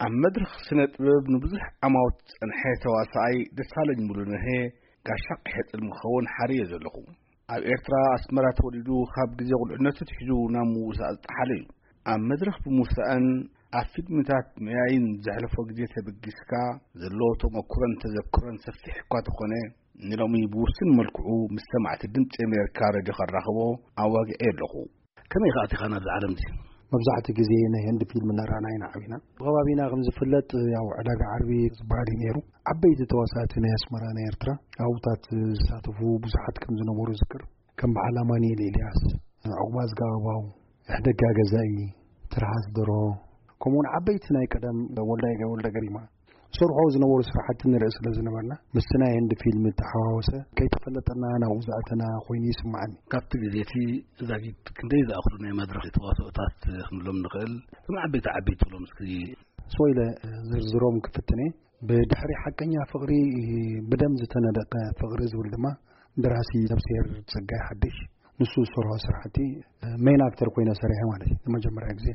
ኣብ መድረኽ ስነ ጥበብ ንብዙሕ ዓማውት ዝጸንሐ ተዋሳኣይ ደሳለኝ ሙሉነሄ፣ ጋሻ ቀይሕ ጽልሚ ክኸውን ሓርዮ ዘለኹ። ኣብ ኤርትራ ኣስመራ ተወሊዱ፣ ካብ ግዜ ቁልዕነቱ ትሒዙ ናብ ምውሳእ ዝጠሓለ እዩ። ኣብ መድረኽ ብምውሳእን ኣብ ፊልምታት ምያይን ዘሕለፎ ግዜ ተበጊስካ፣ ዘለዎ ተመኩሮን ተዘክሮን ሰፊሕ እኳ ተኾነ፣ ንሎሚ ብውሱን መልክዑ ምስ ሰማዕቲ ድምጺ ኣሜሪካ ሬድዮ ከራኽቦ ኣዋጊዐ ኣለኹ። ከመይ ከኣ ኣቲኻ ናብዚ ዓለም እዚ? መብዛሕትኡ ግዜ ናይ ህንዲ ፊልም እናረኣና ኢና ዓቢና። ብኸባቢና ከም ዝፍለጥ፣ ያው ዕዳጋ ዓርቢ ዝበሃል እዩ ነይሩ። ዓበይቲ ተዋሳእቲ ናይ ኣስመራ፣ ናይ ኤርትራ፣ ኣብታት ዝሳተፉ ብዙሓት ከም ዝነበሩ ዝክር። ከም በዓል ኣማኑኤል ኤልያስ፣ ዑቕባዝጋ ኣበባው፣ ሕደጋ ገዛኢ፣ ትርሃስ ደርሆ፣ ከምኡውን ዓበይቲ ናይ ቀደም ወልዳይ ወልደ ገሪማ ዝሰርሖ ዝነበሩ ስራሕቲ ንርኢ ስለ ዝነበርና፣ ምስቲ ናይ ህንዲ ፊልም እተሓዋወሰ፣ ከይተፈለጠና ናብኡ ዝኣተና ኮይኑ ይስምዓኒ። ካብቲ ግዜ እቲ ዛጊት ክንደይ ዝኣኽሉ ናይ መድረኽ ተዋስኦታት ክንብሎም ንኽእል? እቶም ዓበይቲ ዓበይቲ ትብሎም እስኪ። ስወ ኢለ ዝርዝሮም ክፍትን እየ። ብድሕሪ ሓቀኛ ፍቕሪ፣ ብደም ዝተነደቀ ፍቕሪ ዝብል ድማ ደራሲ ነብስሄር ጸጋይ ሓድሽ፣ ንሱ ዝሰርሖ ስራሕቲ ሜን ኣክተር ኮይነ ሰሪሐ ማለት እዩ። ንመጀመርያ ግዜ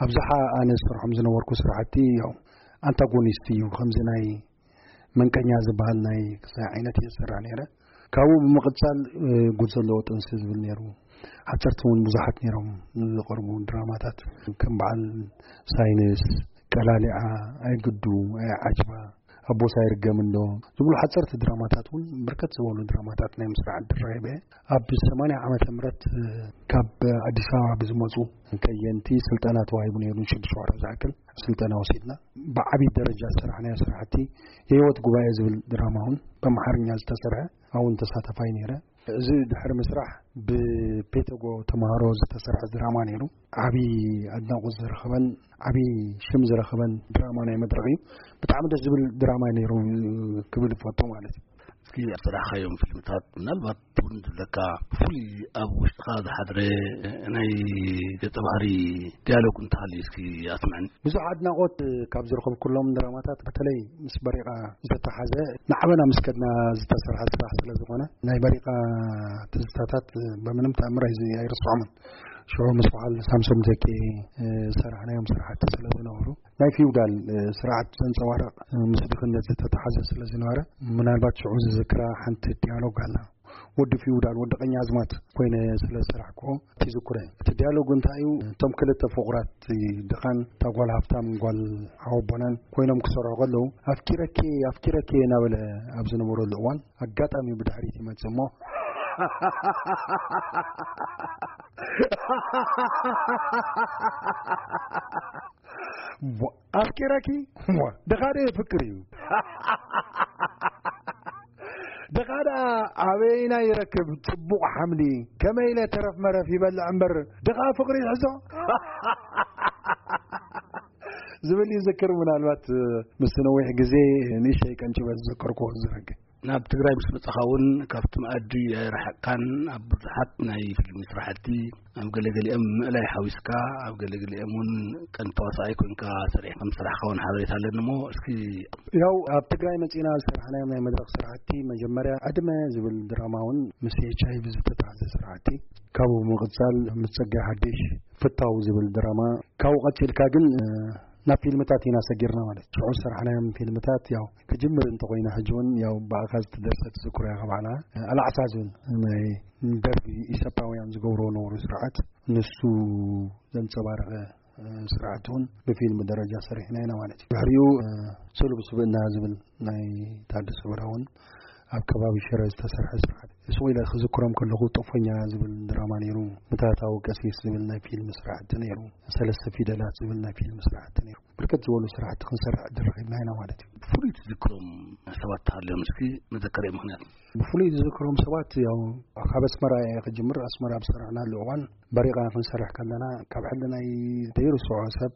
ኣብዝሓ ኣነ ዝሰርሖም ዝነበርኩ ስራሕቲ ያው ኣንታጎኒስት እዩ። ከምዚ ናይ መንቀኛ ዝበሃል ናይ ክሳይ ዓይነት እየ ዝሰርሕ ነይረ። ካብኡ ብምቕጻል፣ እ፣ ጉድ ዘለዎ ጥንሲ ዝብል ነይሩ። ሓጸርቲ እውን ብዙሓት ነይሮም ዝቐርቡ ድራማታት፣ ከም በዓል ሳይንስ፣ ቀላሊዓ፣ ኣይግዱ፣ ኣይዓጅባ፣ ኣቦስ ኣይርገም እንዶ ዝብሉ ሓጸርቲ ድራማታት እውን፣ ብርከት ዝበሉ ድራማታት ናይ ምስራሕ ዕድል ረኺበ። ኣብ ሰማንያ ዓመተ ምህረት፣ እ፣ ካብ ኣዲስ ኣበባ ብዝመጹ ከየንቲ ስልጠና ተዋሂቡ ነይሩ። ንሽዱሽተ ወርሒ ዝኣክል ስልጠና ወሲድና። ብዓቢ ደረጃ ዝሰራሕናዮ ስራሕቲ የህይወት ጉባኤ ዝብል ድራማ እውን ብኣምሓርኛ ዝተሰርሐ፣ ኣውን ተሳተፋይ ነይረ። እዚ ድሕሪ ምስራሕ ብፔተጎ ተምሃሮ ዝተሰርሐ ድራማ ነይሩ። ዓቢ ኣድናቖት ዝረኸበን ዓቢ ሽም ዝረኸበን ድራማ ናይ መድረኽ እዩ። ብጣዕሚ ደስ ዝብል ድራማ እዩ ነይሩ ክብል እፈቱ ማለት እዩ። እስኪ ኣብ ስራሕካዮም ፊልምታት ምናልባት ትውን ዝብለካ ብፍሉይ ኣብ ውሽጥኻ ዝሓድረ ናይ ገጸ ባህሪ ዲያሎግ እንተሃልዩ እስኪ ኣስምዐኒ። ብዙሕ ኣድናቖት ካብ ዝረኸብኩሎም ድራማታት፣ በተለይ ምስ በሪቓ ዝተተሓዘ፣ ንዓበና ምስ ከድና ዝተሰርሐ ስራሕ ስለ ዝኾነ፣ ናይ በሪቓ ትዝታታት ብምንም ተኣምር ኣይዝ-፣ ኣይርስዖምን። ሽዑ ምስ በዓል ሳምሶም ተኬ፣ እ፣ ዝሰራሕናዮም ስራሕቲ ስለ ዝነበሩ፣ ናይ ፊውዳል፣ እ፣ ስርዓት ዘንጸባርቕ፣ እ፣ ምስ ድኽነት ዝተተሓዘ ስለ ዝነበረ፣ ምናልባት ሽዑ ዝዝክራ ሓንቲ ዲያሎግ ኣላ። ወዲ ፊውዳል፣ ወዲ ቀኛዝማት ኮይነ ስለ ዝሰራሕክዎ ትዝክረ። እቲ ዲያሎግ እንታይ እዩ? እቶም ክልተ ፍቑራት፣ ድኻን እታ ጓል ሃብታም ጓል ሓወቦናን ኮይኖም ክሰርሑ ከለዉ፣ "ኣፍቂረኪ፣ ኣፍቂረኪ" እናበለ ኣብ ዝነበረሉ እዋን፣ ኣጋጣሚ ብድሕሪት ይመጽእ እሞ፣ "ኣፍቂረኪ?" "ድኻ ዶ የፍቅር እዩ?" ድኻ ደኣ ኣበይና ይረክብ ጽቡቕ ሓምሊ? ከመይ ኢለ ተረፍ መረፍ ይበልዕ እምበር፣ ድኻ ፍቕሪ ይሕዞ? ዝብል ይዝክር። ምናልባት ምስቲ ነዊሕ ግዜ ንእሽተይ ቀንጭበ ዝዘከርኩዎ ዝረግ። ናብ ትግራይ ምስ መጻኻ እውን ካብቲ መኣዲ ኣይረሓቕካን። ኣብ ብዙሓት ናይ ፊልም ስራሕቲ ኣብ ገለገሊኦም ምእላይ ሓዊስካ፣ ኣብ ገለገሊኦም እውን ቀንዲ ተዋሳኣይ ኮንካ ሰሪሕ ከም ስራሕካ እውን ሓበሬታ ኣለኒ እሞ፣ እስኪ። ያው ኣብ ትግራይ መጺና ዝሰራሕናዮም ናይ መድረኽ ስራሕቲ፣ መጀመርያ ዕድመ ዝብል ድራማ እውን ምስ ኤች ኣይ ቪ ዝተታሕዘ ስራሕቲ፣ ካብኡ ብምቕጻል ምስ ጸጋይ ሓድሽ ፍታው ዝብል ድራማ፣ ካብኡ ቀጺልካ ግን፣ እ፣ ናብ ፊልምታት ኢና ሰጊርና ማለት እዩ። ሽዑ ዝሰራሕናዮም ፊልምታት ያው ክጅምር እንተኾይና፣ ሕጂ እውን ያው ብኣኻ ዝተደርሰት ዝክሮያ ከባዕላ፣ እ፣ ኣላዕሳ ዝብል ናይ ደርጊ ኢሰፓውያን ዝገብርዎ ነበሩ ስርዓት፣ ንሱ ዘንጸባረቐ፣ እ፣ ስርዓት እውን ብፊልም ደረጃ ሰሪሕና ኢና ማለት እዩ። ድሕሪኡ፣ እ፣ ስሉብ ስብእና ዝብል ናይ ታደሰ ወረደ እውን ኣብ ከባቢ ሽረ ዝተሰርሐ ስርዓት። ስወ ኢለ ክዝክሮም ከለኹ፣ ጦፎኛ ዝብል ድራማ ነይሩ፣ ምትሃታዊ ቀሲስ ዝብል ናይ ፊልም ስርዓት ነይሩ፣ ሰለስተ ፊደላት ዝብል ናይ ፊልም ስርዓት ነይሩ። ብርከት ዝበሉ ስራሕቲ ክንሰርሕ ዕድል ረኺብና ኢና ማለት እዩ። ብፍሉይ ትዝክሮም ሰባት ተሃልዮም እስኪ መዘከርያ ምኽንያት? ብፍሉይ ዝዝክሮም ሰባት፣ ያው ካብ ኣስመራ እየ ክጅምር። ኣስመራ ኣብ ዝሰራሕናሉ እዋን በሪቓ ክንሰርሕ ከለና፣ ካብ ሕልናይ ዘይርስዖ ሰብ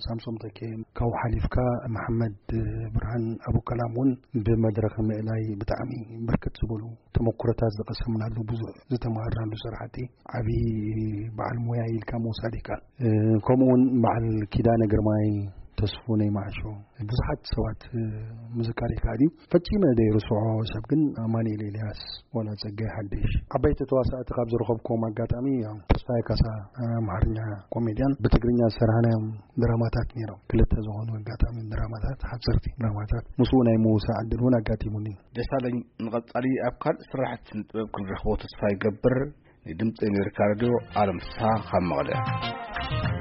ሳምሶም ተኬ፣ ካብኡ ሓሊፍካ መሓመድ ብርሃን ኣቡከላም እውን ብመድረኽ ምእላይ ብጣዕሚ ብርክት ዝበሉ ተመኩሮታት ዝቐሰምናሉ፣ ብዙሕ ዝተማሃርናሉ ስራሕቲ፣ ዓብዪ በዓል ሞያ ኢልካ ምውሳድ ይከኣል። እ፣ ከምኡ እውን በዓል ኪዳነ ግርማይ፣ ተስፉ ናይ ማዕሾ፣ ብዙሓት ሰባት ምዝካር ይከኣል እዩ። ፈጺመ ዘይርስዖ ሰብ ግን ኣማኑኤል ኤልያስ፣ ዋላ ጸጋይ ሓድሽ፣ ዓበይቲ ተዋሳእቲ ካብ ዝረኸብኩዎም ኣጋጣሚ እዮም። ተስፋይ ካሳ፣ ኣምሓርኛ ኮሜድያን፣ ብትግርኛ ዝሰራሕናዮም ድራማታት ነይሮም። ክልተ ዝኾኑ ኣጋጣሚ ድራማታት፣ ሓጸርቲ ድራማታት፣ ምስኡ ናይ ምውሳእ ዕድል እውን ኣጋጢሙኒ። ደሳለኝ፣ ንቐጻሊ ኣብ ካልእ ስራሕቲ ስነ ጥበብ ክንረኽቦ ተስፋ ይገብር። ንድምፂ ኣሜሪካ ሬድዮ፣ ኣለም ፍስሃ ካብ መቐለ።